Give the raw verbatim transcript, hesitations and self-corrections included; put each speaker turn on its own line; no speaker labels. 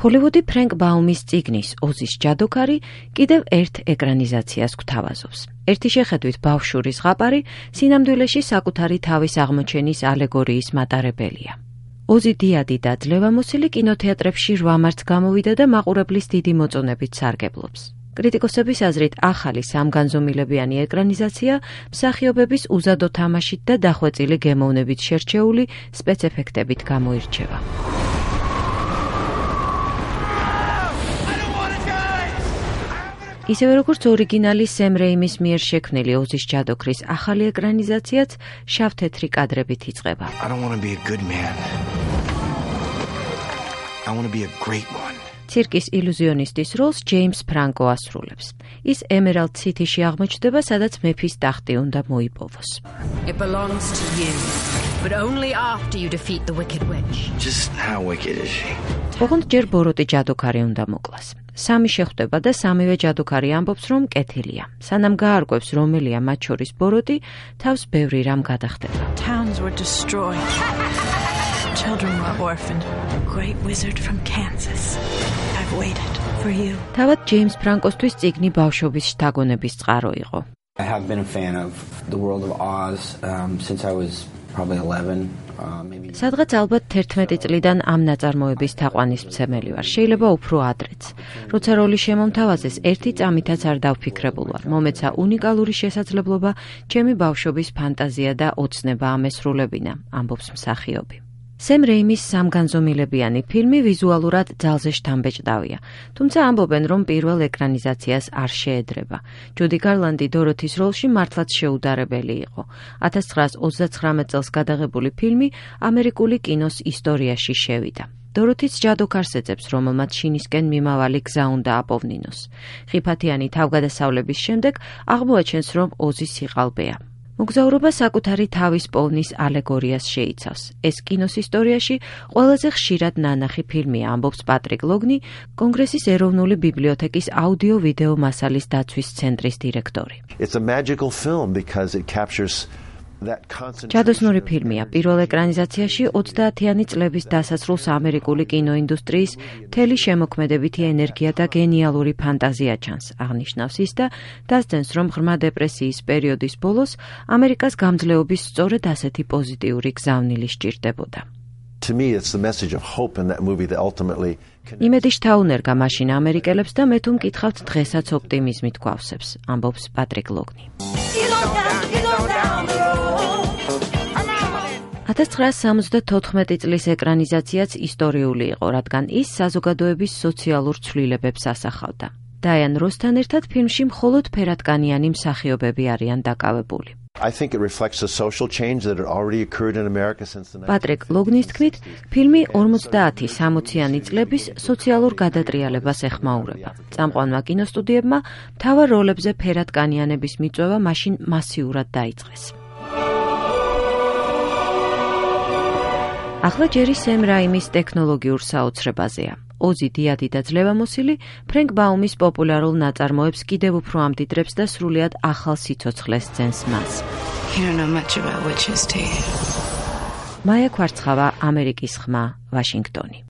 ჰოლივუდი ფრენკ ბაუმის წიგნის ოზის ჯადოქარი კიდევ ერთ ეკრანიზაციას გვთავაზობს. ერთი შეხედვით ბავშვური ზღაპარი სინამდვილეში საკუთარი თავის აღმოჩენის ალეგორიის მატარებელია. ოზი დიადი და ძლევამოსილი კინოთეატრებში რვა მარტს გამოვიდა და მაყურებლის დიდი მოწონებით სარგებლობს. კრიტიკოსების აზრით ახალი სამგანზომილებიანი ეკრანიზაცია მსახიობების უზადო თამაშით და დახვეწილი გემოვნებით შერჩეული სპეცეფექტებით გამოირჩევა. ისევე როგორც ორიგინალი სემ რეიმის მიერ შექმნილი ოზის ჯადოქრის ახალი ეკრანიზაციაც შავ-თეთრი კადრებით იწყება.
I don't want to be a good man. I want to be a great one.
ცირკის ილუზიონისტის როლს ჯეიმს ფრანკო ასრულებს. ის ემერალდ სიტიში აღმოჩნდება, სადაც მეფის ტახტი უნდა მოიპოვოს.
It belongs to you, but only after you defeat the wicked witch.
Just how wicked is she?
ოღონდ ჯერ ბოროტი ჯადოქარი უნდა მოკლას. სამი შეხვდება და სამივე ჯადოქარი ამბობს, რომ კეთილია. სანამ გაარკვევს, რომელია მათ შორის ბოროტი, თავს ბევრი რამ გადახდება.
Towns were destroyed. Children were orphaned. Great wizard from Kansas. I've waited for you.
თავად ჯეიმს ფრანკოსთვის წიგნი ბავშვობის შთაგონების წყარო იყო.
I have been a fan of the world of Oz um, since I was probably eleven. Uh, maybe
სადღაც ალბათ თერთმეტი წლიდან ამ ნაწარმოების თაყვანისმცემელი ვარ. შეიძლება უფრო ადრეც. როცა როლი შემომთავაზეს, ერთი წამითაც არ დავფიქრებულ ვარ. მომეცა უნიკალური შესაძლებლობა ჩემი ბავშვობის ფანტაზია და ოცნება ამესრულებინა, ამბობს მსახიობი. სემ რეიმის სამგანზომილებიანი ფილმი ვიზუალურად ძალზე შთამბეჭდავია, თუმცა ამბობენ, რომ პირველ ეკრანიზაციას არ შეედრება. ჯუდი გარლანდი დოროთის როლში მართლაც შეუდარებელი იყო. ათას ცხრაას ოცდაცხრამეტ წელს გადაღებული ფილმი ამერიკული კინოს ისტორიაში შევიდა. დოროთიც ჯადოქარს ეძებს, რომელმაც შინისკენ მიმავალი გზა უნდა აპოვნინოს. ხიფათიანი თავგადასავლების შემდეგ აღმოაჩენს, რომ ოზი სიყალბეა. მოგზაურობა საკუთარი თავის პოვნის ალეგორიას შეიცავს. ეს კინოს ისტორიაში ყველაზე ხშირად ნანახი ფილმია, ამბობს პატრიკ ლოგნი, კონგრესის ეროვნული ბიბლიოთეკის აუდიო-ვიდეო მასალის დაცვის ცენტრის დირექტორი.
It's a magical film because it captures
ჯადოსნური ფილმია. პირველ ეკრანიზაციაში ოცდაათიანი წლების დასასრულს ამერიკული კინოინდუსტრიის მთელი შემოქმედებითი ენერგია და გენიალური ფანტაზია ჩანს, აღნიშნავს ის და დასძენს, რომ ღრმა დეპრესიის პერიოდის ბოლოს ამერიკას გამძლეობის სწორედ ასეთი პოზიტიური გზავნილი სჭირდებოდა.
To me, it's the message of hope in that movie that ultimately
იმედი შთაუნერგა მაშინ ამერიკელებს და მე თუ მკითხავთ დღესაც ოპტიმიზმით გვავსებს, ამბობს პატრიკ ლოგნი. ათას ცხრაას სამოცდათოთხმეტი წლის ეკრანიზაციაც ისტორიული იყო, რადგან ის საზოგადოების სოციალურ ცვლილებებს ასახავდა. დაიან როსთან ერთად ფილმში მხოლოდ ფერადკანიანი მსახიობები არიან დაკავებული.
I think it reflects a social change that had already occurred in America since the
პატრიკ ლოგნის თქმით, ფილმი ორმოცდაათი სამოციანი წლების სოციალურ გადატრიალებას ეხმაურება. წამყვანმა კინოსტუდიებმა მთავარ როლებზე ფერადკანიანების მიწვევა მაშინ მასიურად დაიწყეს. ახლა ჯერი სემ რაიმის ტექნოლოგიურ საოცრებაზეა. ოზი დიადი და ძლევამოსილი ფრენკ ბაუმის პოპულარულ ნაწარმოებს კიდევ უფრო ამდიდრებს და სრულიად ახალ სიცოცხლეს ძენს მას.
You don't know much about witches, do you?
მაია კვარცხავა, ამერიკის ხმა, ვაშინგტონი.